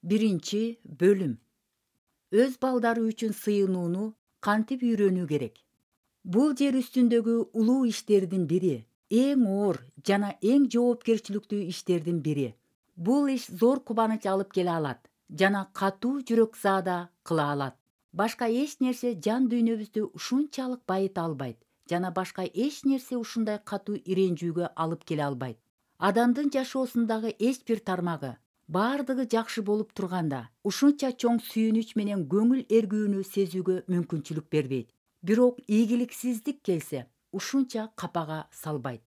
Биринчи бөлүм. Өз балдары үчүн сыйынууну кантип үйрөнүү керек? Бул жер үстүндөгү улуу иштердин бири, эң оор жана эң жоопкерчиликтүү иштердин бири. Бул иш зор кубаныч алып келе алат жана катуу жүрөк заада кыла алат. Башка эч нерсе жан дүйнөбүздү ушунчалык байыта албайт жана башка эч нерсе ушундай катуу ирэнжүүгө алып келе албайт. Адамдын жашоосундагы эч бир тармагы, баардыгы жакшы болуп турганда, ушунча чоң сүйүнүч менен көңүл эргүүнү сезүүгө мүмкүнчүлүк бербейт. Бирок ийгиликсиздик келсе, ушунча капага салбайт.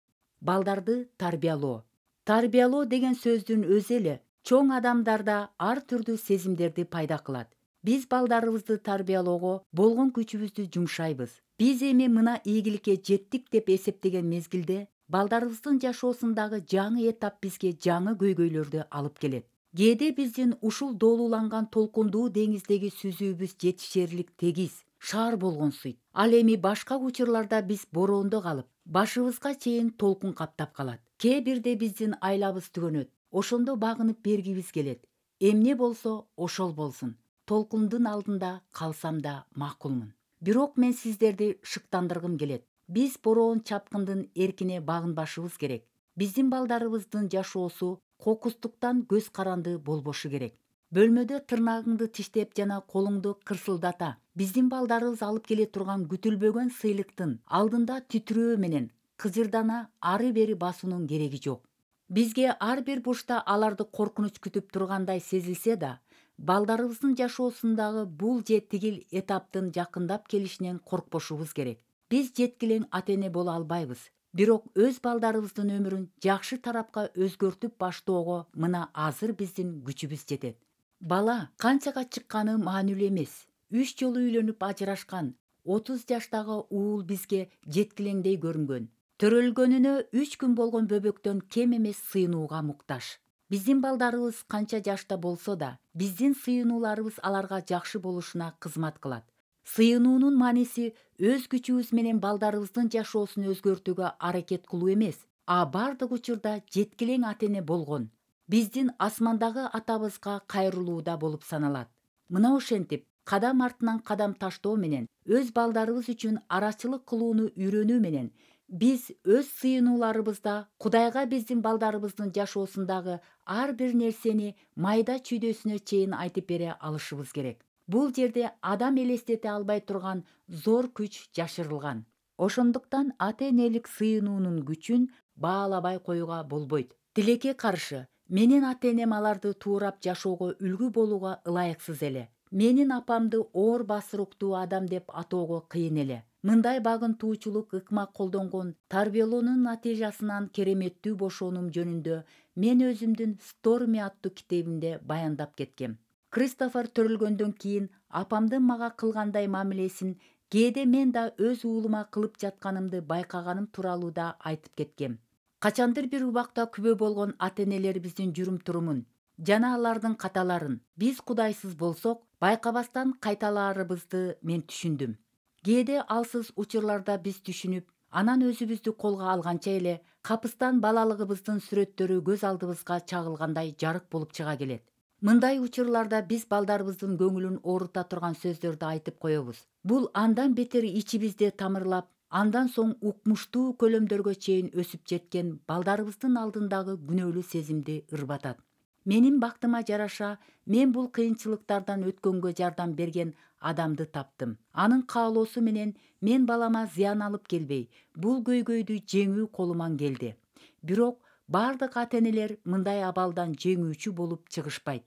Балдарды тарбиялоо. Тарбиялоо деген сөздүн өзү эле чоң адамдарда ар түрдүү сезимдерди пайда кылат. Биз балдарыбызды тарбиялоого болгон күчүбүздү жумшайбыз. Биз эми мына ийгиликке жеттик деп эсептеген мезгилде балдарыбыздын жашоосундагы жаңы этап бизге жаңы көйгөйлөрдү алып келет. Кээде биздин ушул доолууланган толкундуу деңиздеги сүзүүбүз жетишээрлик тегиз, шаар болгонсуйт. Ал эми башка учурларда биз бороондо калып, башыбызга чейин толкун каптап калат. Кээ бирде биздин айлабыз түгөнөт. Ошондо багынып бергибиз келет. Эмне болсо ошол болсун. Толкундун алдында калсам да макулмун. Бирок мен сиздерди шыктандыргым келет. Биз бороон чапкындын эркине багынбашыбыз керек. Биздин балдарыбыздын жашоосу кокустуктан көз каранды болбошу керек. Бөлмөдө тырнагыңды тиштеп жана колуңду кырсылдата биздин балдарыбыз алып келе турган күтүлбөгөн сыйлыктын алдында титирөө менен кыжырдана ары бери басуунун кереги жок. Бизге ар бир бурчта аларды коркунуч күтүп тургандай сезилсе да, балдарыбыздын жашоосундагы бул же тигил этаптын жакындап келишинен коркпошубуз керек. Биз жеткилең ата-эне боло албайбыз. Бирок өз балдарыбыздын өмүрүн жакшы тарапка өзгөртүп баштоого мына азыр биздин күчүбүз жетет. Бала канчага чыкканы маанилүү эмес. 3 жолу үйлөнүп ажырашкан 30 жаштагы уул бизге жеткилеңдей көрүнгөн. Төрөлгөнүнө 3 күн болгон бөбөктөн кем эмес сыйынууга муктаж. Биздин балдарыбыз канча жашта болсо да, биздин сыйынууларыбыз аларга жакшы болушуна кызмат кылат. Сыйынуунун мааниси өз күчүбүз менен балдарыбыздын жашоосун өзгөртүүгө аракет кылуу эмес, а бардык учурда жеткилең ата-эне болгон биздин асмандагы атабызга кайрылууда болуп саналат. Мына ошентип, кадам артынан кадам таштоо менен, өз балдарыбыз үчүн арачылык кылууну үйрөнүү менен, биз өз сыйынууларыбызда Кудайга биздин балдарыбыздын жашоосундагы ар бир нерсени майда чүйдөсүнө чейин айтып бере алышыбыз керек. Бул жерде адам элестете албай турган зор күч жашырылган. Ошондуктан ата-энелик сыйынуунун күчүн баалабай коюуга болбойт. Тилекке каршы, менин ата-энем аларды туурап жашоого үлгү болууга ылайыксыз эле. Менин апамды оор басыруктуу адам деп атоого кыйын эле. Мындай багынтуучулук ыкма колдонгон тарбиялоонун натыйжасынан кереметтүү бошоонум жөнүндө мен өзүмдүн Stormy аттуу китебимде баяндап кеткем. Кристофер төрөлгөндөн кийин апамдын мага кылгандай мамилесин кээде мен да өз уулума кылып жатканымды байкаганым тууралуу да айтып кеткем. Качандыр бир убакта күбө болгон ата-энелерибиздин жүрүм-турумун жана алардын каталарын биз кудайсыз болсок, байкабастан кайталаарыбызды мен түшүндүм. Кээде алсыз учурларда биз түшүнүп, анан өзүбүздү колго алганча эле капыстан балалыгыбыздын сүрөттөрү көз алдыбызга чагылгандай жарык болуп чыга келет. Мындай учурларда биз балдарыбыздын көңүлүн оорута турган сөздөрдү айтып коебуз. Бул андан бетер ичибизде тамырлап, андан соң укмуштуу көлөмдөргө чейин өсүп жеткен балдарыбыздын алдындагы күнөөлүү сезимди ырбатат. Менин бактыма жараша, мен бул кыйынчылыктардан өткөнгө жардам берген адамды таптым. Анын каалоосу менен мен балама зыян алып келбей, бул көйгөйдү жеңүү колуман келди. Бирок бардык ата-энелер мындай абалдан жеңүүчү болуп чыгышпайт.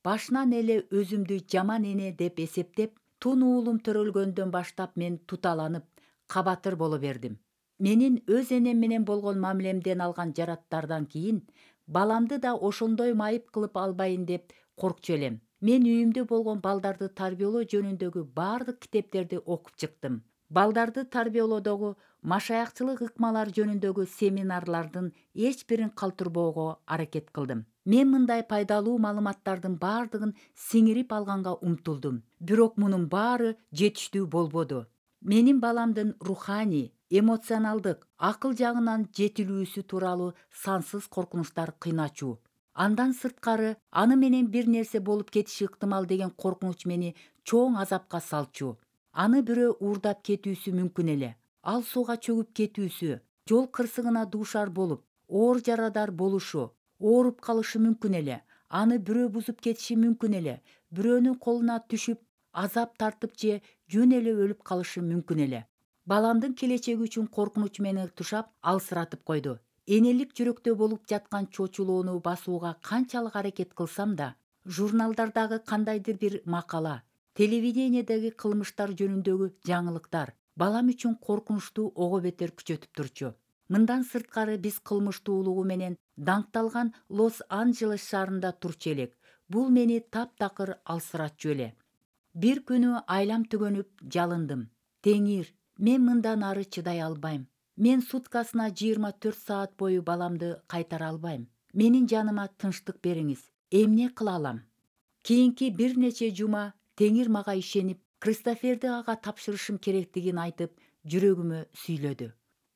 Башынан эле өзүмдү жаман эне деп эсептеп, тун уулум төрөлгөндөн баштап мен туталанып, кабатыр боло бердим. Менин өз энем менен болгон мамилемден алган жараттардан кийин баламды да ошондой майып кылып албайын деп коркчу элем. Мен үйүмдө болгон балдарды тарбиялоо жөнүндөгү бардык китептерди окуп чыктым. Балдарды тарбиялоодогу машаякчылык ыкмалар жөнүндөгү семинарлардын эч бирин калтырбоого аракет кылдым. Мен мындай пайдалуу маалыматтардын бардыгын сиңирип алганга умтулдум. Бирок мунун баары жетиштүү болбоду. Менин баламдын руханий, эмоционалдык, акыл жагынан жетилүүсү тууралуу сансыз коркунучтар кыйначу. Андан сырткары аны менен бир нерсе болуп кетиши ыктымал деген коркунуч мени чоң азапка салчу. Аны бирөө уурдап кетүүсү мүмкүн эле. Ал сууга чөгүп кетүүсү, жол кырсыгына дуушар болуп, оор жарадар болушу, ооруп калышы мүмкүн эле. Аны бирөө бузуп кетиши мүмкүн эле. Бирөөнүн колуна түшүп, азап тартып же жөн эле өлүп калышы мүмкүн эле. Баламдын келечеги үчүн коркунуч мени тушап, алсыратып койду. Энелик жүрөктө болуп жаткан чочулоону басууга канчалык аракет кылсам да, журналдардагы кандайдыр бир макала, телевидениедеги кылмыштар жөнүндөгү жаңылыктар балам үчүн коркунучту ого бетер күчөтүп турчу. Мындан сырткары биз кылмыштуулугу менен даңкталган Лос-Анджелес шаарында турчу элек. Бул мени таптакыр алсыратчу эле. Бир күнү айлам түгөнүп жалындым. Теңир, мен мындан ары чыдай албайм. Мен суткасына 24 саат бою баламды кайтара албайм. Менин жаныма тынчтык бериңиз. Эмне кыла алам? Кийинки бир нече жума Теңир мага ишенип, Кристоферди ага тапшырышым керектигин айтып, жүрөгүмө сүйлөдү.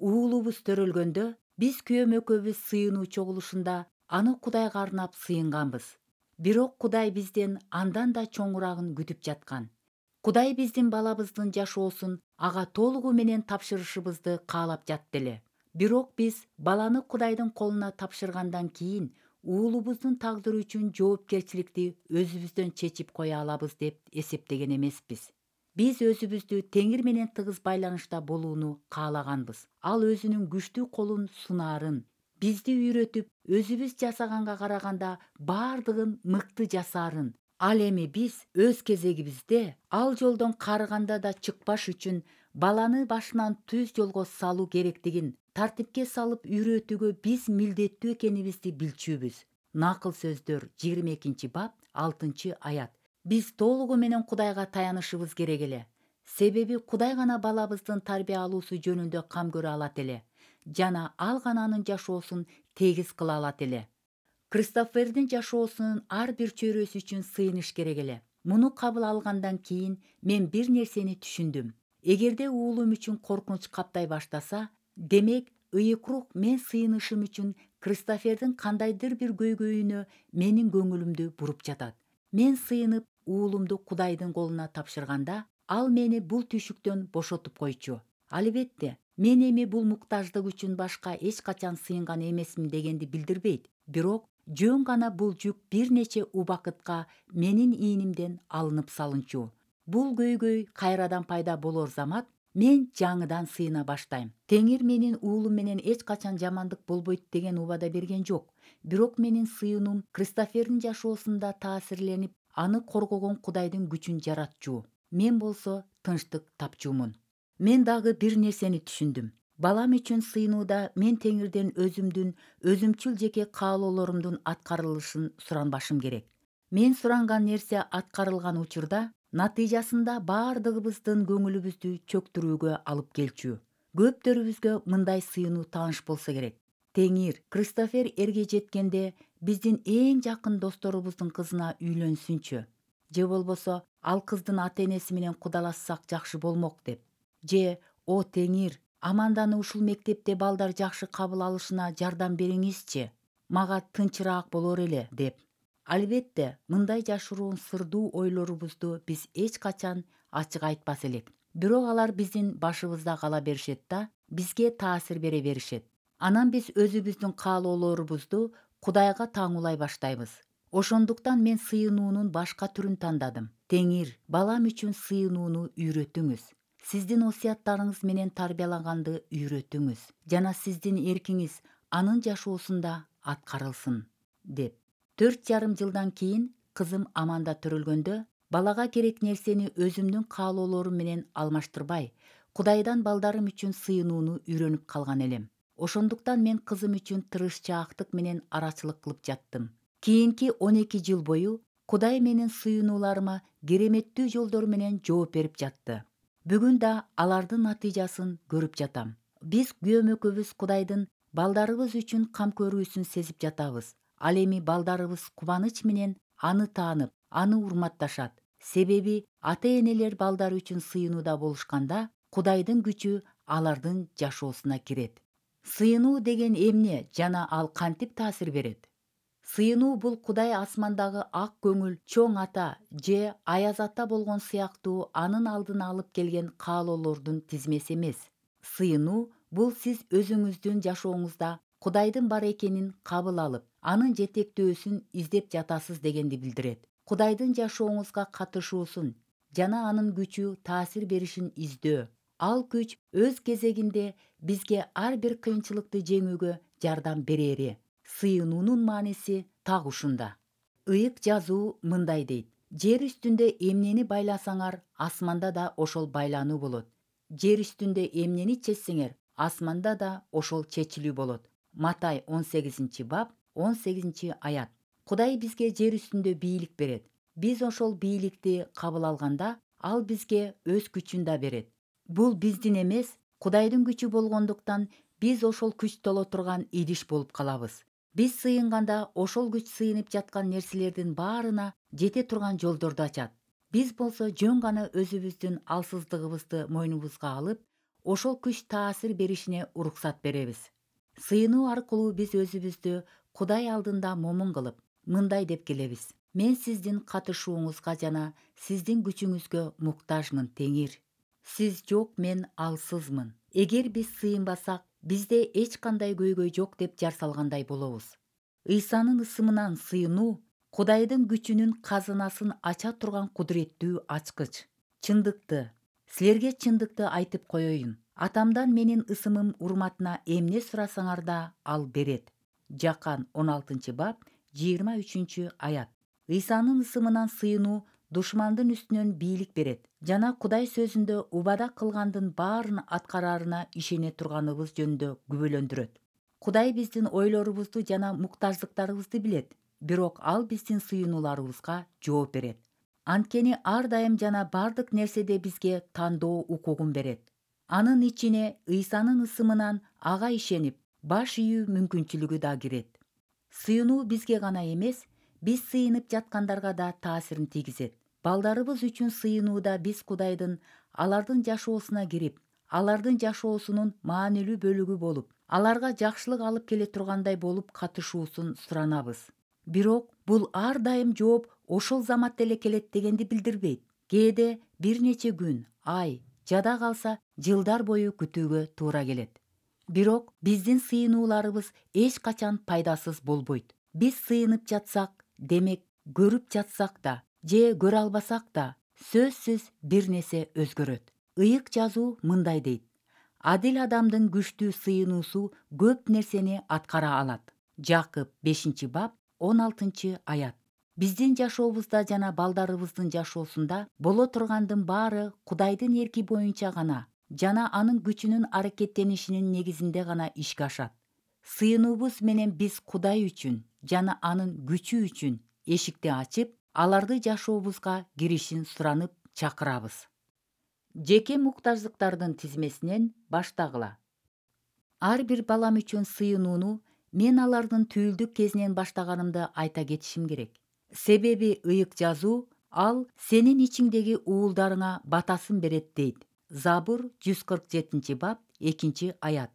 Уулубуз төрөлгөндө биз күйөөм экөөбүз сыйынуу чогулушунда аны Кудайга арнап сыйынганбыз. Бирок Кудай бизден андан да чоңурагын күтүп жаткан. Кудай биздин балабыздын жашоосун ага толугу менен тапшырышыбызды каалап жатты эле. Бирок биз баланы Кудайдын колуна тапшыргандан кийин уулубуздун тагдыры үчүн жоопкерчиликти өзүбүздөн чечип кое алабыз деп эсептеген эмеспиз. Биз өзүбүздү Теңир менен тыгыз байланышта болууну каалаганбыз. Ал өзүнүн күчтүү колун сунаарын, бизди үйрөтүп, өзүбүз жасаганга караганда баардыгын мыкты жасаарын. Ал эми биз өз кезегибизде ал жолдон карыганда да чыкпаш үчүн баланы башынан түз жолго салуу керектигин тартипке салып үйрөтүүгө биз милдеттүү экенибизди билчүбүз. Накыл сөздөр 22 бап 6 аят. Биз толугу менен Кудайга таянышыбыз керек эле. Себеби Кудай гана балабыздын тарбия алуусу жөнүндө кам көрө алат эле. Жана ал гана анын жашоосун тегиз кыла алат эле. Кристофердин жашоосунун ар бир чөйрөсү үчүн сыйыныш керек эле. Муну кабыл алгандан кийин мен бир нерсени түшүндүм. Эгерде уулум үчүн коркунуч каптай баштаса, демек ыйык рух мен сыйынышым үчүн Кристофердин кандайдыр бир көйгөйүнө менин көңүлүмдү буруп жатат. Мен сыйынып, уулумду Кудайдын колуна тапшырганда, ал мени бул түшүктөн бошотуп койчу. Албетте, мен эми бул муктаждык үчүн башка эч качан сыйынган эмесмин дегенди билдирбейт. Бирок жөн гана бул жүк бир нече убакытка менин ийнимден алынып салынчу. Бул көйгөй кайрадан пайда болор замат мен жаңыдан сыйына баштайм. Теңир менин уулум менен эч качан жамандык болбойт деген убада берген жок. Бирок менин сыйынуум Кристофердин жашоосунда таасирленип, аны коргогон Кудайдын күчүн жаратчу. Мен болсо тынчтык тапчумун. Мен дагы бир нерсени түшүндүм. Балам үчүн сыйынууда мен Теңирден өзүмчүл жеке каалоолорумдун аткарылышын суранбашым керек. Мен суранган нерсе аткарылган учурда натыйжасында баардыгыбыздын көңүлүбүздү чөктүрүүгө алып келчү. Көптөрүбүзгө мындай сыйынуу тааныш болсо керек. Теңир, Кристофер эрге жеткенде биздин эң жакын досторубуздун кызына үйлөнсүнчү. Же болбосо ал кыздын ата-энеси менен кудалашсак жакшы болмок деп. Же, о Теңир, Аманданы ушул мектепте балдар жакшы кабыл алышына жардам бериңизчи. Мага тынчыраак болор эле деп. Албетте, мындай жашыруун сырдуу ойлорубузду биз эч качан ачык айтпас элек. Бирок алар биздин башыбызда кала беришет да, бизге таасир бере беришет. Анан биз өзүбүздүн каалоолорубузду Кудайга таңуулай баштайбыз. Ошондуктан мен сыйынуунун башка түрүн тандадым. Теңир, балам үчүн сыйынууну үйрөтүңүз. Сиздин осуяттарыңыз менен тарбиялаганды үйрөтүңүз. Жана сиздин эркиңиз анын жашоосунда аткарылсын, деп. 4,5 жылдан кийин кызым Аманда төрөлгөндө, балага керек нерсени өзүмдүн каалоолорум менен алмаштырбай, Кудайдан балдарым үчүн сыйынууну үйрөнүп калган элем. Ошондуктан мен кызым үчүн тырышчаактык менен арачылык кылып жаттым. Кийинки 12 жыл бою Кудай менин сыйынууларыма кереметтүү жолдор менен жооп берип жатты. Бүгүн да алардын натыйжасын көрүп жатам. Биз күйөөм экөөбүз Кудайдын балдарыбыз үчүн кам көрүүсүн сезип жатабыз. Ал эми балдарыбыз кубаныч менен аны таанып, аны урматташат. Себеби ата-энелер балдары үчүн сыйынууда болушканда, Кудайдын күчү алардын жашоосуна кирет. Сыйынуу деген эмне жана ал кантип таасир берет? Сыйынуу бул Кудай асмандагы ак көңүл, чоң ата же аяз ата болгон сыяктуу анын алдына алып келген каалоолордун тизмеси эмес. Сыйынуу бул сиз өзүңүздүн жашооңузда Кудайдын бар экенин кабыл алып, анын жетектөөсүн издеп жатасыз дегенди билдирет. Кудайдын жашооңузга катышуусун жана анын күчү таасир беришин издөө. Ал күч өз кезегинде бизге ар бир кыйынчылыкты жеңүүгө жардам берери. Сыйынуунун мааниси так ушунда. Ыйык жазуу мындай дейт: жер үстүндө эмнени байласаңар, асманда да ошол байлануу болот. Жер үстүндө эмнени чечсеңер, асманда да ошол чечилүү болот. Матай 18-бап 18-аят. Кудай бизге жер үстүндө бийлик берет. Биз ошол бийликти кабыл алганда, ал бизге өз күчүн да берет. Бул биздин эмес, Кудайдын күчү болгондуктан биз ошол күч толо турган идиш болуп калабыз. Биз сыйынганда ошол күч сыйынып жаткан нерселердин баарына жете турган жолдорду ачат. Биз болсо жөн гана өзүбүздүн алсыздыгыбызды мойнубузга алып, ошол күч таасир беришине уруксат беребиз. Сыйынуу аркылуу биз өзүбүздү Кудай алдында момун кылып, мындай деп келебиз: мен сиздин катышууңузга жана сиздин күчүңүзгө муктажмын, Теңир. Сиз жок, мен алсызмын. Эгер биз сыйынбасак, бизде эч кандай көйгөй жок деп жар салгандай болобуз. Ыйсанын ысымынан сыйынуу Кудайдын күчүнүн казынасын ача турган кудуреттүү ачкыч. Чындыкты, силерге чындыкты айтып коеюн. Атамдан менин ысымым урматына эмне сурасаңар да ал берет. Жакан 16-бап 23-аят. Ыйсанын ысымынан сыйынуу душмандын үстүнөн бийлик берет жана Кудай сөзүндө убада кылгандын баарын аткараарына ишене турганыбыз жөнүндө күбөлөндүрөт. Кудай биздин ойлорубузду жана муктаждыктарыбызды билет, бирок ал биздин сыйынууларыбызга жооп берет. Анткени ар дайым жана бардык нерседе бизге тандоо укугун берет. Анын ичине Ыйсанын ысымынан ага ишенип, баш ийүү мүмкүнчүлүгү да кирет. Сыйынуу бизге гана эмес, биз сыйынып жаткандарга да таасирин тийгизет. Балдарыбыз үчүн сыйынууда биз Кудайдын алардын жашоосуна кирип, алардын жашоосунун маанилүү бөлүгү болуп, аларга жакшылык алып келе тургандай болуп катышуусун суранабыз. Бирок бул ар дайым жооп ошол заматта эле келет дегенди билдирбейт. Кээде бир нече күн, ай, жада калса жылдар бою күтүүгө туура келет. Бирок биздин сыйынууларыбыз эч качан пайдасыз болбойт. Биз сыйынып жатсак, демек көрүп жатсак да же көрө албасак да, сөзсүз бир нерсе өзгөрөт. Ыйык жазуу мындай дейт: адил адамдын күчтүү сыйынуусу көп нерсени аткара алат. Жакып 5-бап 16-аят. Биздин жашообузда жана балдарыбыздын жашоосунда боло тургандын баары Кудайдын эрки боюнча гана жана анын күчүнүн аракеттенишинин негизинде гана ишке ашат. Сыйынуубуз менен биз Кудай үчүн жана анын күчү үчүн эшикти ачып, аларды жашообузга киришин суранып чакырабыз. Жеке муктаждыктардын тизмесинен баштагыла. Ар бир балам үчүн сыйынууну мен алардын түйүлдүк кезинен баштаганымды айта кетишим керек. Себеби ыйык жазуу ал сенин ичиңдеги уулдарыңа батасын берет дейт. Забур 147-бап 2-аят.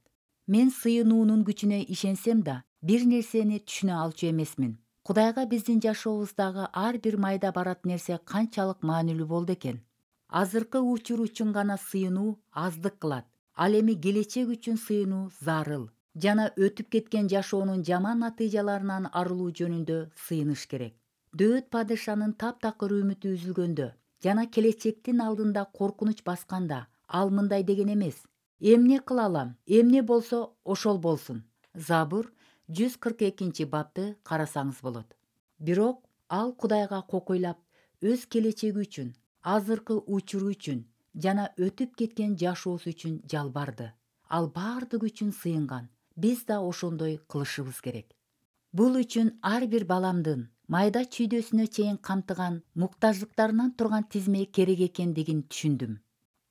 Мен сыйынуунун күчүнө ишенсем да, бир нерсени түшүнө алчу эмесмин. Кудайга биздин жашообуздагы ар бир майда барат нерсе канчалык маанилүү болду экен. Азыркы учур үчүн гана сыйынуу аздык кылат. Ал эми келечек үчүн сыйынуу зарыл жана өтүп кеткен жашоонун жаман натыйжаларынан арылуу жөнүндө сыйыныш керек. Дөөт падышанын таптакыр үмүтү үзүлгөндө жана келечектин алдында коркунуч басканда ал мындай деген эмес: эмне кыла алам, эмне болсо ошол болсун. Забур 142-бапты карасаңыз болот. Бирок ал Кудайга кокойлап, өз келечеги үчүн, азыркы учуру үчүн жана өтүп кеткен жашоосу үчүн жалбарды. Ал бардык үчүн сыйынган. Биз да ошондой кылышыбыз керек. Бул үчүн ар бир баламдын майда чүйдөсүнө чейин камтыган муктаждыктарынан турган тизме керек экендигин түшүндүм.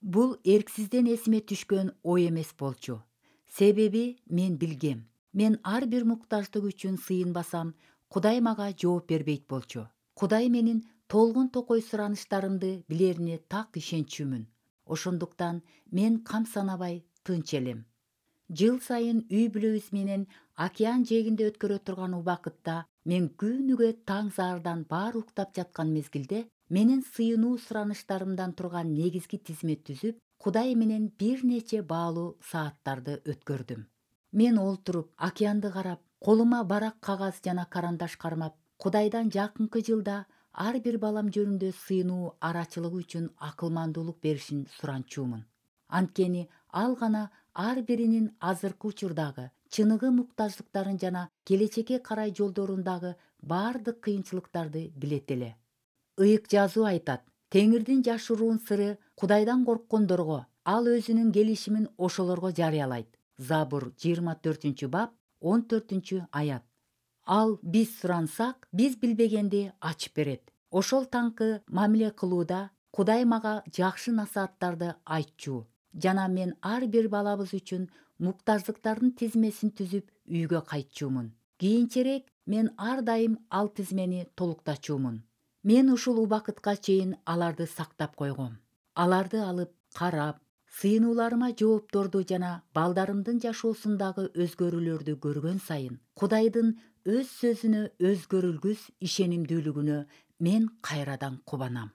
Бул эрксизден эсиме түшкөн ой эмес болчу. Себеби мен билгем, мен ар бир муктаждык үчүн сыйынбасам, Кудай мага жооп бербейт болчу. Кудай менин толгун токой сураныштарымды билерине так ишенчүмүн. Ошондуктан мен кам санабай тынч элем. Жыл сайын үй бүлөбүз менен океан жээгинде өткөрө турган убакытта Мен күнүгө таң заардан баары уктап жаткан мезгилде менин сыйынуу сураныштарымдан турган негизги тизме түзүп, Кудай менен бир нече баалуу сааттарды өткөрдүм. Мен олтуруп, океанды карап, колума барак кагаз жана карандаш кармап, Кудайдан жакынкы жылда ар бир балам жөнүндө сыйынуу арачылыгы үчүн акылмандуулук беришин суранчумун. Анткени ал гана ар биринин азыркы учурдагы чыныгы муктаждыктарын жана келечекке карай жолдорундагы баардык кыйынчылыктарды билет эле. Ыйык жазуу айтат: Теңирдин жашыруун сыры Кудайдан корккондорго, ал өзүнүн келишимин ошолорго жарыялайт. Забур 24-бап 14-аят. Ал биз сурансак, биз билбегенди ачып берет. Ошол таңкы мамиле кылууда Кудай мага жакшы насааттарды айтчу жана мен ар бир балабыз үчүн муктаждыктардын тизмесин түзүп үйгө кайтчумун. Кийинчерээк мен ар дайым ал тизмени толуктачумун. Мен ушул убакытка чейин аларды сактап койгом. Аларды алып, карап, сыйынууларыма жоопторду жана балдарымдын жашоосундагы өзгөрүүлөрдү көргөн сайын, Кудайдын өз сөзүнө өзгөрүлгүс ишенимдүүлүгүнө мен кайрадан кубанам.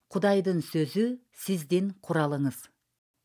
Кудайдын сөзү сиздин куралыңыз.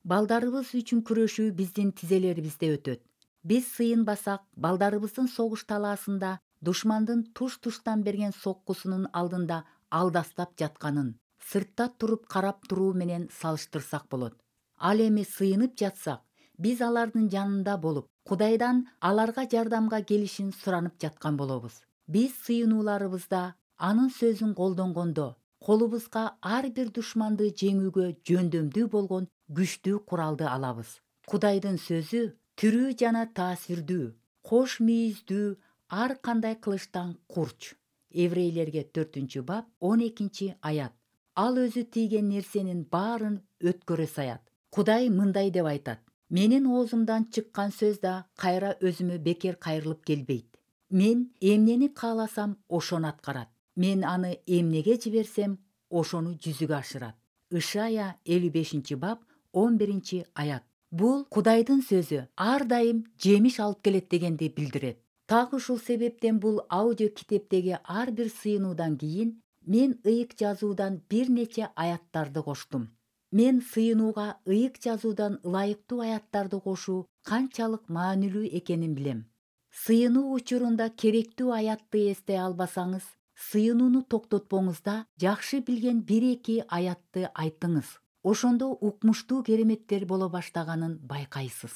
Балдарыбыз үчүн күрөшүү биздин тизелерибизде өтөт. Биз сыйынбасак, балдарыбыздын согуш талаасында душмандын туш-туштан берген соккусунун алдында алдастап жатканын сыртта туруп карап туруу менен салыштырсак болот. Ал эми сыйынып жатсак, биз алардын жанында болуп, Кудайдан аларга жардамга келишин суранып жаткан болобуз. Биз сыйынууларыбызда анын сөзүн колдонгондо, колубузга ар бир душманды жеңүүгө жөндөмдүү болгон күчтүү куралды алабыз. Кудайдын сөзү тирүү жана таасирдүү, кош мүйүздүү, ар кандай кылычтан курч. Еврейлерге 4-бап 12-аят. Ал өзү тийген нерсенин баарын өткөрө саят. Кудай мындай деп айтат: Менин оозумдан чыккан сөз да кайра өзүмө бекер кайрылып келбейт. Мен эмнени кааласам, ошону аткарат. Мен аны эмнеге жиберсем, ошону жүзүгө ашырат. Ышая 55-бап 11-аят. Бул Кудайдын сөзү ар дайым жемиш алып келет дегенди билдирет. Так ушул себептен бул аудио китептеги ар бир сыйынуудан кийин мен ыйык жазуудан бир нече аяттарды коштум. Мен сыйынууга ыйык жазуудан ылайыктуу аяттарды кошуу канчалык маанилүү экенин билем. Сыйынуу учурунда керектүү аятты эстей албасаңыз, сыйынууну токтотпоңуз да жакшы билген 1-2 аятты айтыңыз. Ошондо укмуштуу кереметтер боло баштаганын байкайсыз.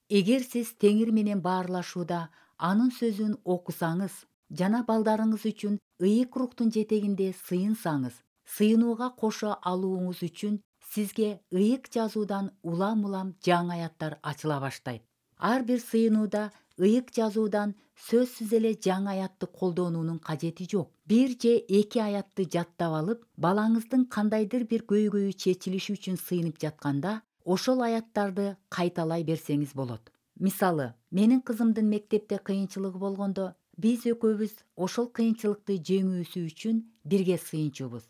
Эгер сиз Теңир менен баарлашууда анын сөзүн окусаңыз жана балдарыңыз үчүн ыйык рухтун жетегинде сыйынсаңыз, сыйынууга кошо алууңуз үчүн сизге ыйык жазуудан улам-улам жаңы аяттар ачыла баштайт. Ар бир сыйынууда ыйык жазуудан сөзсүз эле жаңы аятты колдонуунун кажети жок. 1 же 2 аятты жаттап алып, балаңыздын кандайдыр бир көйгөйү чечилиши үчүн сыйынып жатканда, ошол аяттарды кайталай берсеңиз болот. Мисалы, менин кызымдын мектепте кыйынчылыгы болгондо, биз экөөбүз ошол кыйынчылыкты жеңүүсү үчүн бирге сыйынчубуз.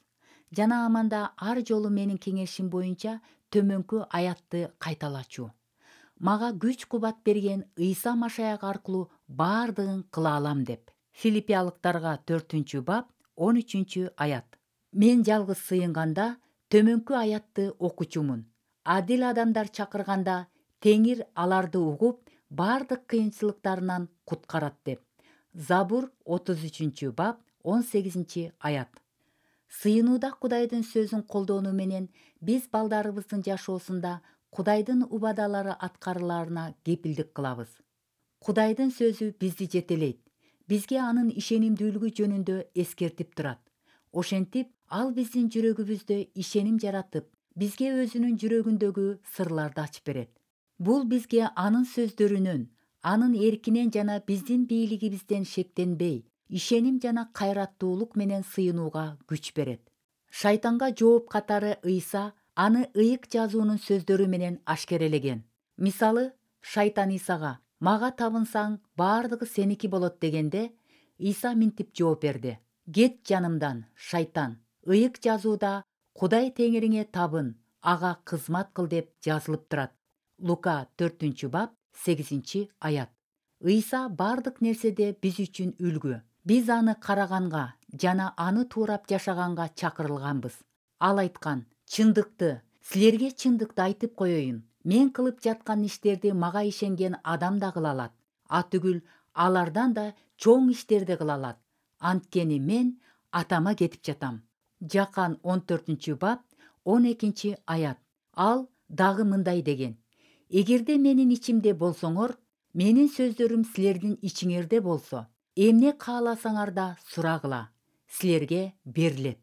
Жана аманда ар жолу менин кеңешим боюнча төмөнкү аятты кайталачу. Мага күч кубат берген Ыйса Машаяк аркылуу баардыгын кыла алам деп. Филиппиялыктарга 4-бап 13-аят. Мен жалгыз сыйынганда төмөнкү аятты окучумун. Адил адамдар чакырганда Теңир аларды угуп, баардык кыйынчылыктарынан куткарат деп. Забур 33-бап 18-аят. Сыйынууда Кудайдын сөзүн колдонуу менен биз балдарыбыздын жашоосунда Кудайдын убадалары аткарылаарына кепилдик кылабыз. Кудайдын сөзү бизди жетелейт. Бизге анын ишенимдүүлүгү жөнүндө эскертип турат. Ошентип, ал биздин жүрөгүбүздө ишеним жаратып, бизге өзүнүн жүрөгүндөгү сырларды ачып берет. Бул бизге анын сөздөрүнөн, анын эркинен жана биздин бийлигибизден шектенбей, ишеним жана кайраттуулук менен сыйынууга күч берет. Шайтанга жооп катары Ыйса аны ыйык жазуунун сөздөрү менен ашкерелеген. Мисалы, шайтан Исага: "Мага табынсаң, баардыгы сеники болот" дегенде, Иса мынтип жооп берди: "Кет жанымдан, шайтан. Ыйык жазууда Кудай Теңириңе табын, ага кызмат кыл" деп жазылып турат. Лука 4-бап 8-аят. Ыйса баардык нерседе биз үчүн үлгү. Биз аны караганга жана аны туурап жашаганга чакырылганбыз. Ал айткан: чындыкты, силерге чындыкты айтып коеюн. Мен кылып жаткан иштерди мага ишенген адам да кыла алат. Атүгүл алардан да чоң иштерди кыла алат. Анткени мен Атама кетип жатам. Жакан 14-бап 12-аят. Ал дагы мындай деген: эгерде менин ичимде болсоңор, менин сөздөрүм силердин ичиңерде болсо, эмне кааласаңар да сурагыла, силерге берилет.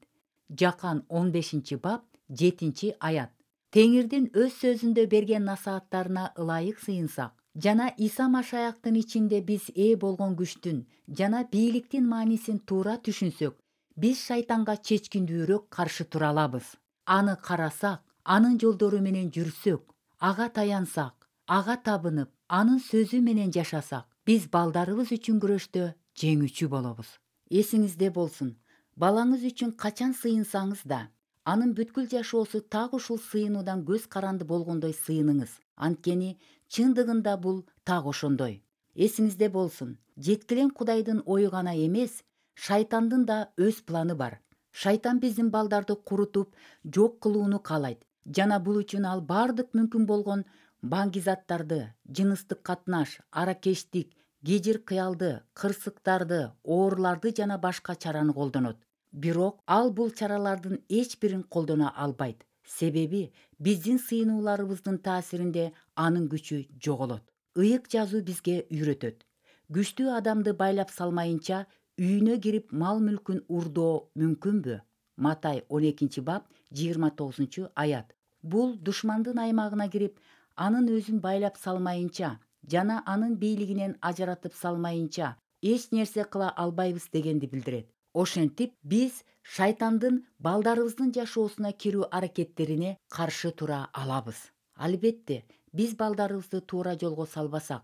Жакан 15-бап 7-аят. Теңирдин өз сөзүндө берген насааттарына ылайык сыйынсак жана Иса Машаяктын ичинде биз ээ болгон күчтүн жана бийликтин маанисин туура түшүнсөк, биз шайтанга чечкиндүүрөөк каршы тура алабыз. Аны карасак, анын жолдору менен жүрсөк, ага таянсак, ага табынып, анын сөзү менен жашасак, биз балдарыбыз үчүн күрөштө жеңүүчү болобуз. Эсиңизде болсун, балаңыз үчүн качан сыйынсаңыз да, анын бүткүл жашоосу так ушул сыйынуудан көз каранды болгондой сыйыныңыз. Анткени чындыгында бул так ошондой. Эсиңизде болсун, жеткилең Кудайдын ою гана эмес, шайтандын да өз планы бар. Шайтан биздин балдарды курутуп, жок кылууну каалайт жана бул үчүн ал бардык мүмкүн болгон баңгизаттарды, жыныстык катнаш, аракечтик, кежир кыялды, кырсыктарды, ооруларды жана башка чараны колдонот. Бирок ал бул чаралардын эч бирин колдоно албайт. Себеби биздин сыйынууларыбыздын таасиринде анын күчү жоголот. Ыйык жазуу бизге үйрөтөт: күчтүү адамды байлап салмайынча үйүнө кирип мал мүлкүн урдоо мүмкүнбү? Матай 12-бап 29-аят. Бул душмандын аймагына кирип, анын өзүн байлап салмайынча жана анын бийлигинен ажыратып салмайынча эч нерсе кыла албайбыз дегенди билдирет. Ошентип биз шайтандын балдарыбыздын жашоосуна кирүү аракеттерине каршы тура алабыз. Албетте, биз балдарыбызды туура жолго салбасак,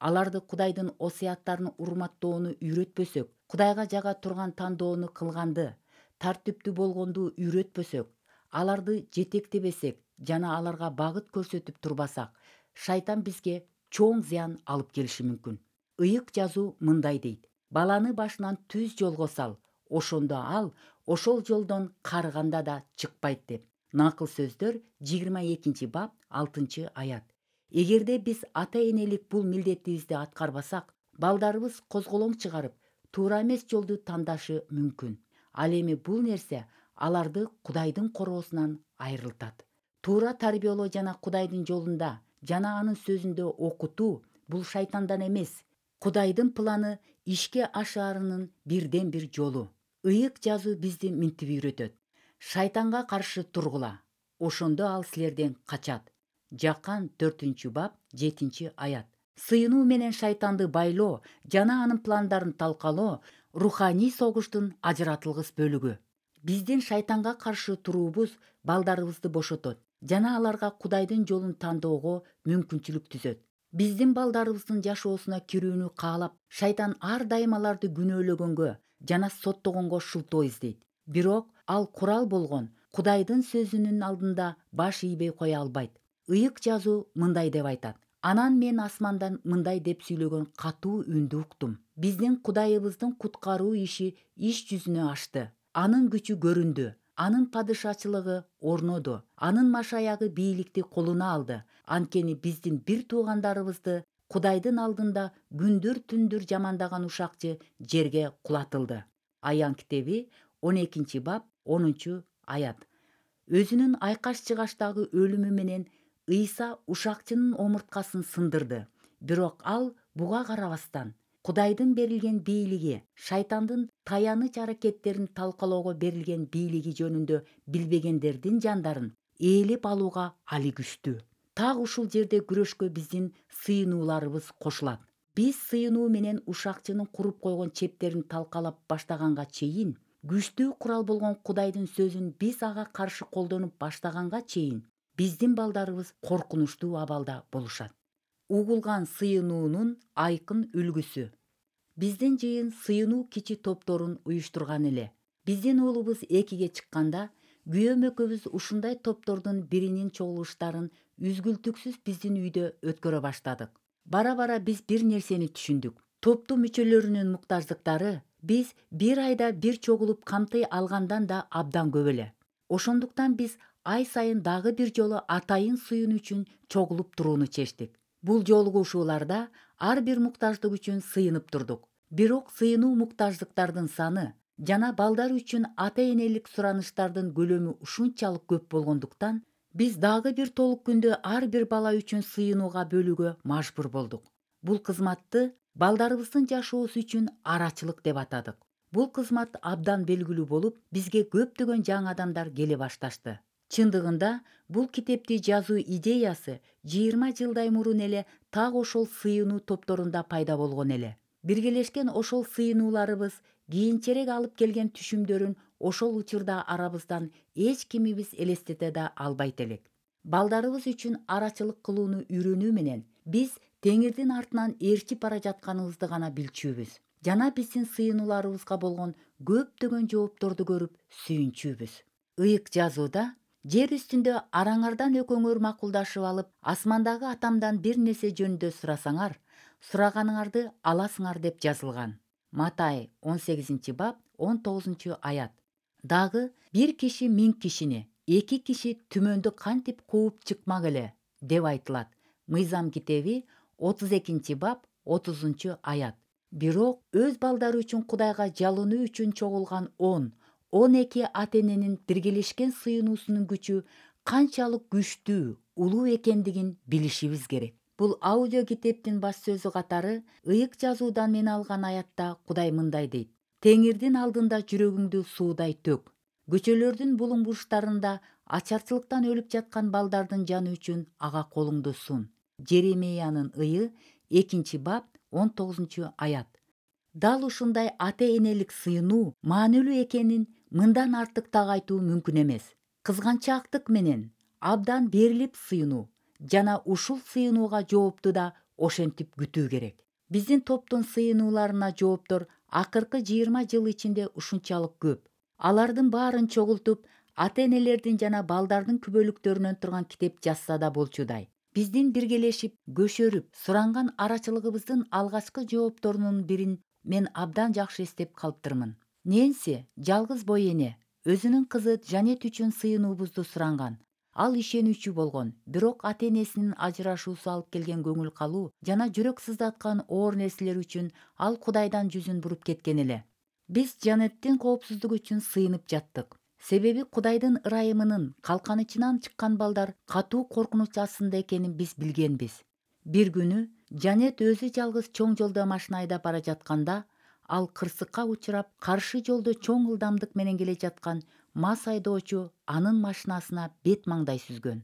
аларды Кудайдын осуяттарын урматтоону үйрөтпөсөк, Кудайга жага турган тандоону кылганды, тартиптүү болгонду үйрөтпөсөк, аларды жетектебесек жана аларга багыт көрсөтүп турбасак, шайтан бизге чоң зыян алып келиши мүмкүн. Ыйык жазуу мындай дейт: баланы башынан түз жолго сал, ошондо ал ошол жолдон карыганда да чыкпайт деп. Накыл сөздөр 22-бап 6-аят. Эгерде биз ата-энелик бул милдетибизди аткарбасак, балдарыбыз козголоң чыгарып, туура эмес жолду тандашы мүмкүн. Ал эми бул нерсе аларды Кудайдын короосунан айрылтат. Туура тарбиялоо жана Кудайдын жолунда жана анын сөзүндө окутуу бул шайтандан эмес, Кудайдын планы ишке ашаарынын бирден бир жолу. Ыйык жазуу бизди минтип үйрөтөт: шайтанга каршы тургула, ошондо ал силерден качат. Жакан 4-бап 7-аят. Сыйынуу менен шайтанды байлоо жана анын пландарын талкалоо руханий согуштун ажыратылгыс бөлүгү. Биздин шайтанга каршы туруубуз балдарыбызды бошотот жана аларга Кудайдын жолун тандоого мүмкүнчүлүк түзөт. Биздин балдарыбыздын жашоосуна кирүүнү каалап, шайтан ар дайым аларды күнөөлөгөнгө жана соттогонго шылтоо издейт. Бирок ал курал болгон Кудайдын сөзүнүн алдында баш ийбей кое албайт. Ыйык жазуу мындай деп айтат: анан мен асмандан мындай деп сүйлөгөн катуу үндү уктум: биздин Кудайыбыздын куткаруу иши иш жүзүнө ашты. Анын күчү көрүндү, анын падышачылыгы орноду, анын машаягы бийликти колуна алды. Анткени биздин бир туугандарыбызды Кудайдын алдында күндүр-түндүр жамандаган ушакчы жерге кулатылды. Аян китеби 12-бап 10-аят. Өзүнүн айкаш-чыгаштагы өлүмү менен Ыйса ушакчынын омурткасын сындырды. Бирок ал буга карабастан Кудайдын берилген бийлиги, шайтандын таяныч аракеттерин талкалоого берилген бийлиги жөнүндө билбегендердин жандарын ээлеп алууга али күчтүү. Так ушул жерде күрөшкө биздин сыйынууларыбыз кошулат. Биз сыйынуу менен ушакчынын куруп койгон чептерин талкалап баштаганга чейин, күчтүү курал болгон Кудайдын сөзүн биз ага каршы колдонуп баштаганга чейин, биздин балдарыбыз коркунучтуу абалда болушат. Угулган сыйынуунун айкын үлгүсү. Биздин жыйын сыйынуу кичи топторун уюштурган эле. Биздин уулубуз 2-ге чыкканда, күйөөм экөөбүз ушундай топтордун биринин чогулуштарын үзгүлтүксүз биздин үйдө өткөрө баштадык. Бара-бара биз бир нерсени түшүндүк: топтун мүчөлөрүнүн муктаждыктары Биз бир айда бир чогулуп камтый алгандан да абдан көп эле. Ошондуктан биз ай сайын дагы бир жолу атайын сыйынуу үчүн чогулуп турууну чечтик. Бул жолугушууларда ар бир муктаждык үчүн сыйынып турдук. Бирок сыйынуу муктаждыктардын саны жана балдар үчүн ата-энелик сураныштардын көлөмү ушунчалык көп болгондуктан биз дагы бир толук күндү ар бир бала үчүн сыйынууга бөлүүгө мажбур болдук. Бул кызматты балдарыбыздын жашоосу үчүн арачылык деп атадык. Бул кызмат абдан белгилүү болуп, бизге көптөгөн жаңы адамдар келе башташты. Чындыгында бул китепти жазуу идеясы 20 жылдай мурун эле так ошол сыйынуу топторунда пайда болгон эле. Биргелешкен ошол сыйынууларыбыз кийинчерээк алып келген түшүмдөрүн ошол учурда арабыздан эч кимибиз элестете да албайт элек. Балдарыбыз үчүн арачылык кылууну үйрөнүү менен биз Теңирдин артынан ээрчип бара жатканыбызды гана билчүбүз. Жана биздин сыйынууларыбызга болгон көптөгөн жоопторду көрүп сүйүнчүбүз. Ыйык жазууда жер үстүндө араңардан экөөңөр макулдашып алып, асмандагы атамдан бир нерсе жөнүндө сурасаңар, сураганыңарды аласыңар деп жазылган. Матай 18-бап 19-аят. Дагы бир киши 1000 кишини, 2 киши түмөндү кантип кууп чыкмак эле деп айтылат. Мыйзам китеби 32-бап 30-аят. Бирок өз балдары үчүн Кудайга жалынуу үчүн чогулган 10-12 ата-эненин биргелешкен сыйынуусунун күчү канчалык күчтүү, улуу экендигин билишибиз керек. Бул аудио китептин баш сөзү катары ыйык жазуудан мен алган аятта Кудай мындай дейт: Теңирдин алдында жүрөгүңдү суудай төк. Көчөлөрдүн булуң бурчтарында ачарчылыктан өлүп жаткан балдардын жаны үчүн ага колуңду сун. Жеремиянын ыйы 2-бап 19-аят. Дал ушундай ата-энелик сыйынуу маанилүү экенин мындан артык так айтуу мүмкүн эмес. Кызганчаактык менен абдан берилип сыйынуу жана ушул сыйынууга жоопту да ошентип күтүү керек. Биздин топтун сыйынууларына жооптор акыркы 20 жыл ичинде ушунчалык көп. Алардын баарын чогултуп, ата-энелердин жана балдардын күбөлүктөрүнөн турган китеп жазса да болчудай. Биздин биргелешип, көшөрүп, суранган арачылыгыбыздын алгачкы жоопторунун бирин мен абдан жакшы эстеп калыптырмын. Нэнси, жалгыз бой эне, өзүнүн кызы Жанет үчүн сыйынуубузду суранган. Ал ишенүүчү болгон, бирок ата-энесинин ажырашуусу алып келген көңүл калуу жана жүрөк сыздаткан оор нерселер үчүн ал Кудайдан жүзүн буруп кеткен эле. Биз Жанеттин коопсуздугу үчүн сыйынып жаттык. Себеби Кудайдын ырайымынын калканычынан чыккан балдар катуу коркунуч астында экенин биз билгенбиз. Бир күнү Жанет өзү жалгыз чоң жолдо машина айдап бара жатканда, ал кырсыкка учурап, каршы жолдо чоң ылдамдык менен келе жаткан мас айдоочу анын машинасына бет маңдай сүзгөн.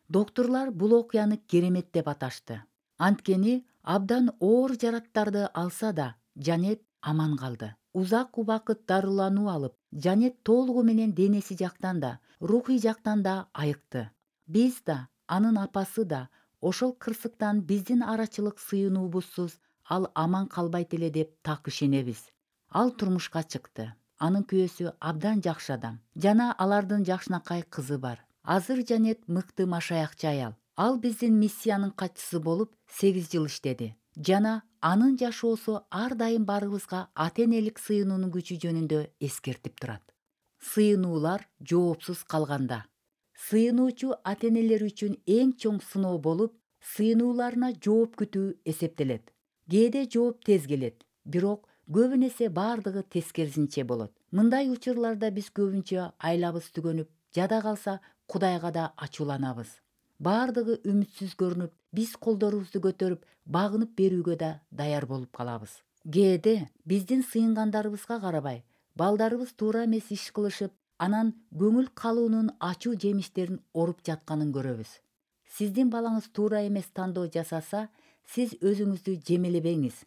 Доктурлар бул окуяны керемет деп аташты. Анткени абдан оор жараттарды алса да, Жанет аман калды. Узак убакыт дарылануу алып, Жанет толугу менен денеси жактан да, рухий жактан да айыкты. Биз да, анын апасы да ошол кырсыктан биздин арачылык сыйынуубузсуз ал аман калбайт эле деп так ишенебиз. Ал турмушка чыкты. Анын күйөөсү абдан жакшы адам жана алардын жакшынакай кызы бар. Азыр Жанет мыкты машаякчы аял. Ал биздин миссиянын катчысы болуп 8 жыл иштеди жана анын жашоосу ар дайым баарыбызга ата-энелик сыйынуунун күчү жөнүндө эскертип турат. Сыйынуулар жоопсуз калганда. Сыйынуучу ата-энелер үчүн эң чоң сыноо болуп, сыйынууларына жооп күтүү эсептелет. Кээде жооп тез келет, бирок көбүн эсе бардыгы тескерисинче болот. Мындай учурларда биз көбүнчө айлабыз түгөнүп, жада калса Кудайга да ачууланабыз. Бардыгы үмүтсүз көрүнүп, биз колдорубузду көтөрүп, багынып берүүгө да даяр болуп калабыз. Кээде биздин сыйынгандарыбызга карабай, балдарыбыз туура эмес иш кылышып, анан көңүл калуунун ачуу жемиштерин оруп жатканын көрөбүз. Сиздин балаңыз туура эмес тандоо жасаса, сиз өзүңүздү жемелебеңиз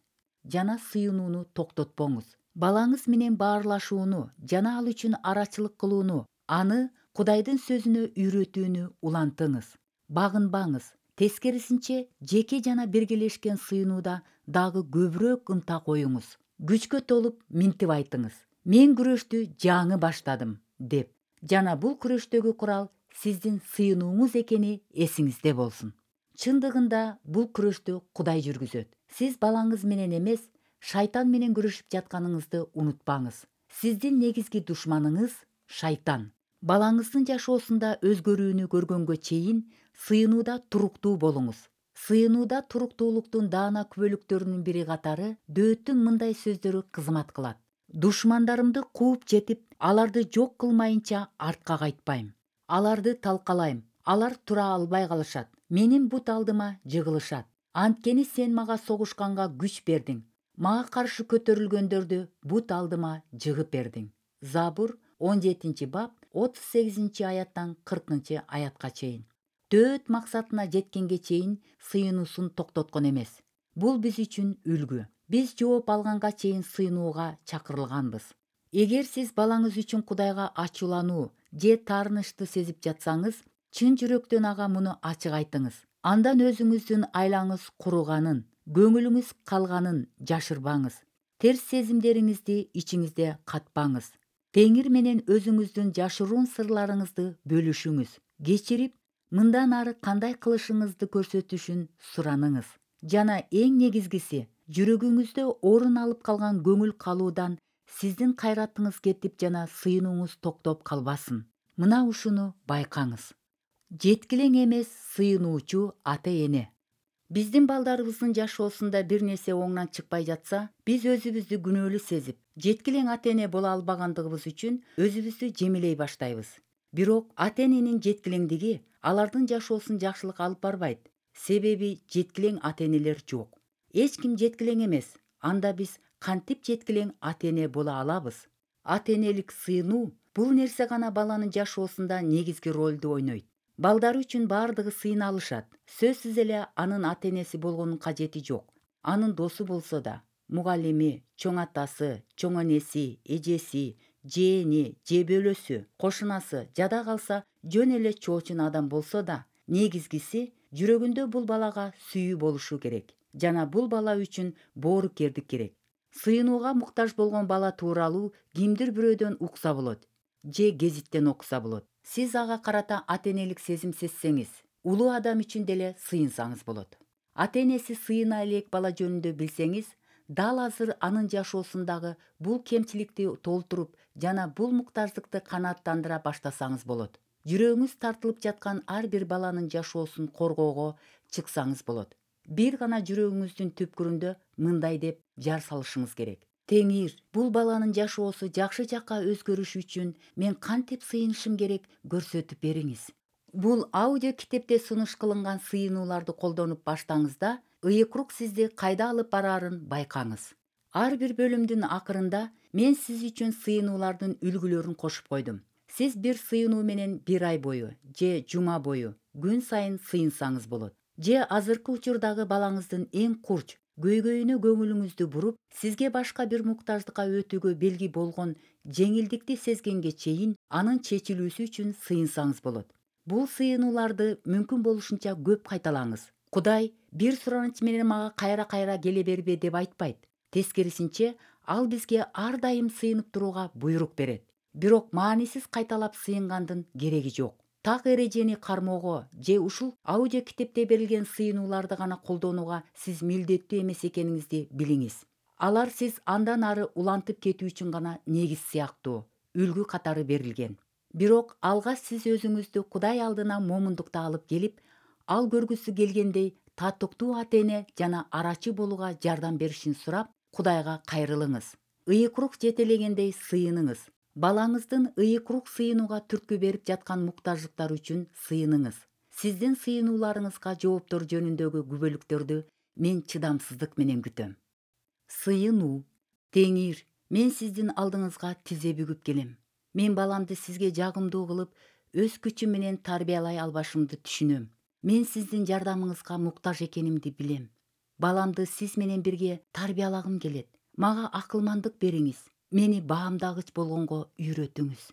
жана сыйынууну токтотпоңуз. Балаңыз менен баарлашууну жана ал үчүн арачылык кылууну, аны Кудайдын сөзүнө үйрөтүүнү улантыңыз. Багынбаңыз. Тескерисинче, жеке жана биргелешкен сыйынууда дагы көбүрөөк ынта коюңуз. Күчкө толуп минтип айтыңыз: мен күрөштү жаңы баштадым деп. Жана бул күрөштөгү курал сиздин сыйынууңуз экени эсиңизде болсун. Чындыгында бул күрөштү Кудай жүргүзөт. Сиз балаңыз менен эмес, шайтан менен күрөшүп жатканыңызды унутпаңыз. Сиздин негизги душманыңыз шайтан. Балаңыздын жашоосунда өзгөрүүнү көргөнгө чейин сыйынууда туруктуу болуңуз. Сыйынууда туруктуулуктун даана күбөлүктөрүнүн бири катары дөөттүн мындай сөздөрү кызмат кылат. Душмандарымды кууп жетип, аларды жок кылмайынча артка кайтпайм. Аларды талкалайм, алар тура албай калышат. Менин бут алдыма жыгылышат. Анткени сен мага согушканга күч бердиң. Мага каршы көтөрүлгөндөрдү бут алдыма жыгып бердиң. Забур 17-бап 38-аяттан 40-аятка чейин. Дөөт максатына жеткенге чейин сыйынуусун токтоткон эмес. Бул биз үчүн үлгү. Биз жооп алганга чейин сыйынууга чакырылганбыз. Эгер сиз балаңыз үчүн Кудайга ачуулануу же таарынычты сезип жатсаңыз, чын жүрөктөн ага муну ачык айтыңыз. Андан өзүңүздүн айлаңыз куруганын, көңүлүңүз калганын жашырбаңыз. Терс сезимдериңизди ичиңизде катпаңыз. Теңир менен өзүңүздүн жашыруун сырларыңызды бөлүшүңүз. Кечирип, мындан ары кандай кылышыңызды көрсөтүшүн сураныңыз. Жана эң негизгиси, жүрөгүңүздө орун алып калган көңүл калуудан сиздин кайратыңыз кетип жана сыйынууңуз токтоп калбасын. Мына ушуну байкаңыз. Жеткилең эмес сыйынуучу ата-эне. Биздин балдарыбыздын жашоосунда бир нерсе оңнан чыкпай жатса, биз өзүбүздү күнөөлүү сезип, жеткилең ата-эне боло албагандыгыбыз үчүн өзүбүздү жемелей баштайбыз. Бирок ата-эненин жеткилеңдиги алардын жашоосун жакшылыкка алып барбайт. Себеби жеткилең ата-энелер жок. Эч ким жеткилең эмес. Анда биз кантип жеткилең ата-эне боло алабыз? Ата-энелик сыйынуу бул нерсе гана баланын жашоосунда негизги ролду ойнойт. Балдары үчүн баардыгы сыйына алышат. Сөзсүз эле анын ата-энеси болгонун кажети жок. Анын досу болсо да, мугалими, чоң атасы, чоң энеси, эжеси, жээни же бөлөсү, кошунасы жада калса жөн эле чоочун адам болсо да, негизгиси жүрөгүндө бул балага сүйүү болушу керек. Жана бул бала үчүн боорукердик керек. Сыйынууга муктаж болгон бала тууралуу кимдир бирөөдөн укса болот же гезиттен окуса болот. Сиз ага карата ата-энелик сезим сезсеңиз, улуу адам үчүн деле сыйынсаңыз болот. Ата-энеси сыйына элек бала жөнүндө билсеңиз, дал азыр анын жашоосундагы бул кемчиликти толтуруп жана бул муктаждыкты канааттандыра баштасаңыз болот. Жүрөгүңүз тартылып жаткан ар бир баланын жашоосун коргоого чыксаңыз болот. Бир гана жүрөгүңүздүн түпкүрүндө мындай деп жар салышыңыз керек. Теңир, бул баланын жашоосу жакшы жакка өзгөрүшү үчүн мен кантип сыйынышым керек көрсөтүп бериңиз. Бул аудио китепте сунуш кылынган сыйынууларды колдонуп баштаңызда, ыйык-рук сизди кайда алып бараарын байкаңыз. Ар бир бөлүмдүн акырында мен сиз үчүн сыйынуулардын үлгүлөрүн кошуп койдум. Сиз бир сыйынуу менен бир ай бою же жума бою күн сайын сыйынсаңыз болот. Же азыркы учурдагы балаңыздын эң курч көйгөйүнө көңүлүңүздү буруп, сизге башка бир муктаждыкка өтүүгө белги болгон жеңилдикти сезгенге чейин анын чечилүүсү үчүн сыйынсаңыз болот. Бул сыйынууларды мүмкүн болушунча көп кайталаңыз. Кудай бир сураныч менен мага кайра-кайра келе бербе деп айтпайт. Тескерисинче, ал бизге ар дайым сыйынып турууга буйрук берет. Бирок маанисиз кайталап сыйынгандын кереги жок. Так эрежени кармоого же ушул аудио китепте берилген сыйынууларды гана колдонууга сиз милдеттүү эмес экениңизди билиңиз. Алар сиз андан ары улантып кетүү үчүн гана негиз сыяктуу, үлгү катары берилген. Бирок алгач сиз өзүңүздү Кудай алдына момундукта алып келип, ал көргүсү келгендей татыктуу ата-эне жана арачы болууга жардам беришин сурап, Кудайга кайрылыңыз. Ыйык-рук жетелегендей сыйыныңыз. Балаңыздын ыйык-рук сыйынууга түрткү берип жаткан муктаждыктар үчүн сыйыныңыз. Сиздин сыйынууларыңызга жооптор жөнүндөгү күбөлүктөрдү мен чыдамсыздык менен күтөм. Сыйынуу. Теңир, мен сиздин алдыңызга тизе бүгүп келем. Мен баламды сизге жагымдуу кылып, өз күчүм менен тарбиялай албашымды түшүнөм. Мен сиздин жардамыңызга муктаж экенимди билем. Баламды сиз менен бирге тарбиялагым келет. Мага акылмандык бериңиз. Мени баамдагыч болгонго үйрөтүңүз.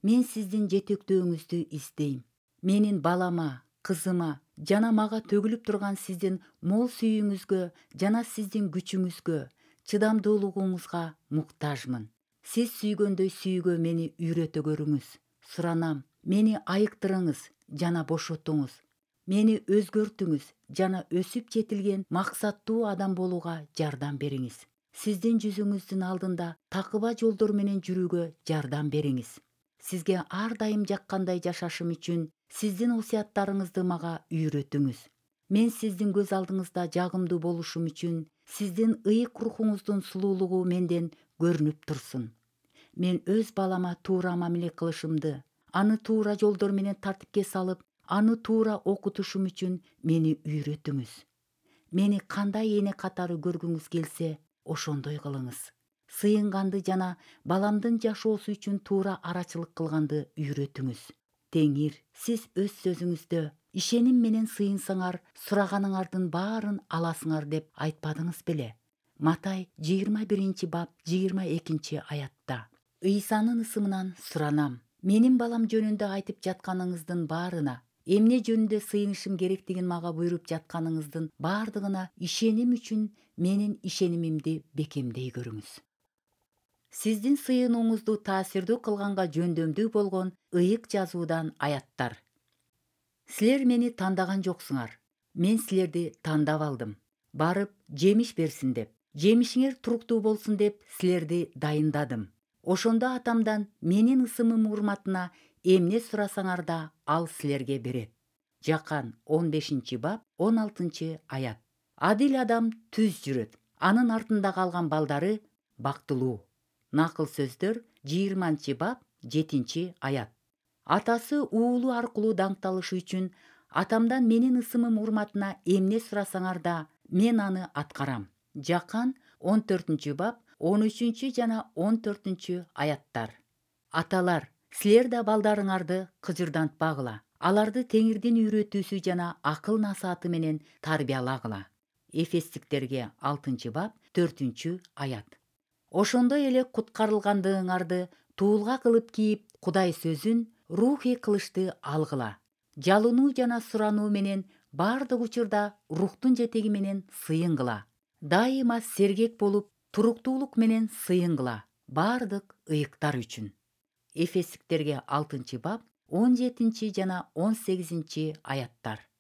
Мен сиздин жетектөөңүздү издейм. Менин балама, кызыма жана мага төгүлүп турган сиздин мол сүйүүңүзгө жана сиздин күчүңүзгө, чыдамдуулугуңузга муктажмын. Сиз сүйгөндөй сүйүүгө мени үйрөтө көрүңүз. Суранам, мени айыктырыңыз жана бошотуңуз. Мени өзгөртүңүз жана өсүп жетилген максаттуу адам болууга жардам бериңиз. Сиздин жүзүңүздүн алдында такыба жолдор менен жүрүүгө жардам бериңиз. Сизге ар дайым жаккандай жашашым үчүн сиздин осуяттарыңызды мага үйрөтүңүз. Мен сиздин көз алдыңызда жагымдуу болушум үчүн сиздин ыйык рухуңуздун сулуулугу менден көрүнүп турсун. Мен өз балама туура мамиле кылышымды, аны туура жолдор менен тартипке салып, аны туура окутушум үчүн мени үйрөтүңүз. Мени кандай эне катары көргүңүз келсе, ошондой кылыңыз. Сыйынганды жана баламдын жашоосу үчүн туура арачылык кылганды үйрөтүңүз. Теңир, сиз өз сөзүңүздө ишеним менен сыйынсаңар, сураганыңардын баарын аласыңар деп айтпадыңыз беле? Матай 21-бап 22-аятта. Ыйсанын ысымынан суранам. Менин балам жөнүндө айтып жатканыңыздын баарына, эмне жөнүндө сыйынышым керектигин мага буйруп жатканыңыздын баардыгына ишеним үчүн менин ишенимимди бекемдей көрүңүз. Сиздин сыйынууңузду таасирдүү кылганга жөндөмдүү болгон ыйык жазуудан аяттар. Силер мени тандаган жоксуңар. Мен силерди тандап алдым. Барып, жемиш берсин деп, жемишиңер туруктуу болсун деп силерди дайындадым. Ошондо атамдан менин ысымым урматына эмне сурасаңар да ал силерге берет. Жакан 15-бап 16-аят. Адил адам түз жүрөт. Анын артында калган балдары бактылуу. Накыл сөздөр 20-бап 7-аят. Атасы уулу аркылуу даңкталышы үчүн атамдан менин ысымым урматына эмне сурасаңар да мен аны аткарам. Жакан 14-бап 13 жана 14-аяттар. Аталар, силер да балдарыңарды кыжырдантпагыла. Аларды Теңирдин үйрөтүүсү жана акыл насааты менен тарбиялагыла. Эфестиктерге 6-бап 4-аят. Ошондой эле куткарылгандыгыңарды туулга кылып кийип, Кудай сөзүн рухий кылычты алгыла. Жалынуу жана сурануу менен бардык учурда рухтун жетеги менен сыйынгыла. Дайыма сергек болуп, туруктуулук менен сыйынгыла бардык ыйыктар үчүн. Эфестиктерге 6-бап 17 жана 18-аяттар.